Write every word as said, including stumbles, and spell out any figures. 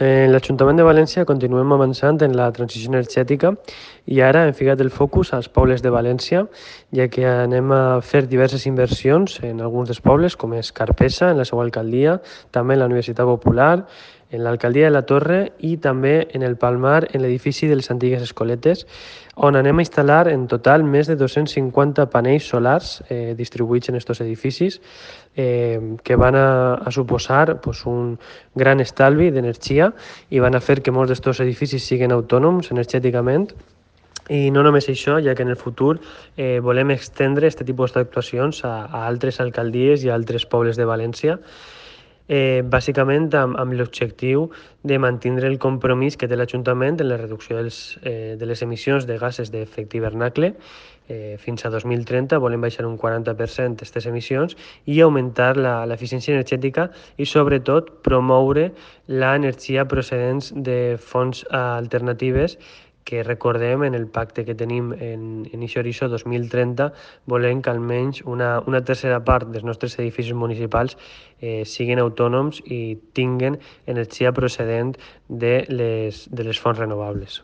En l'Ajuntament de València continuem avançant en la transició energètica i ara hem ficat el focus als pobles de València, ja que anem a fer diverses inversions en alguns dels pobles, com és Carpesa, en la seva alcaldia, també en la Universitat Popular, en l'alcaldia de la Torre i també en el Palmar, en l'edifici de les antigues escoletes, on anem a instal·lar en total més de dos-cents cinquanta panells solars eh, distribuïts en aquests edificis, eh, que van a, a suposar pues, un gran estalvi d'energia i van a fer que molts d'aquests edificis siguin autònoms energèticament. I no només això, ja que en el futur eh, volem extendre aquest tipus d'actuacions a, a altres alcaldies i a altres pobles de València, eh, bàsicament amb, amb l'objectiu de mantenir el compromís que té l'Ajuntament en la reducció dels, eh, de les emissions de gasos d'efecte hivernacle. Eh, fins a dos mil trenta volem baixar un quaranta per cent aquestes emissions i augmentar l'eficiència energètica i sobretot promoure l'energia procedents de fonts alternatives, que recordem en el pacte que tenim en, en Ixo Horitzó dos mil trenta volem que almenys una, una tercera part dels nostres edificis municipals eh, siguin autònoms i tinguen energia procedent de les, de les fonts renovables.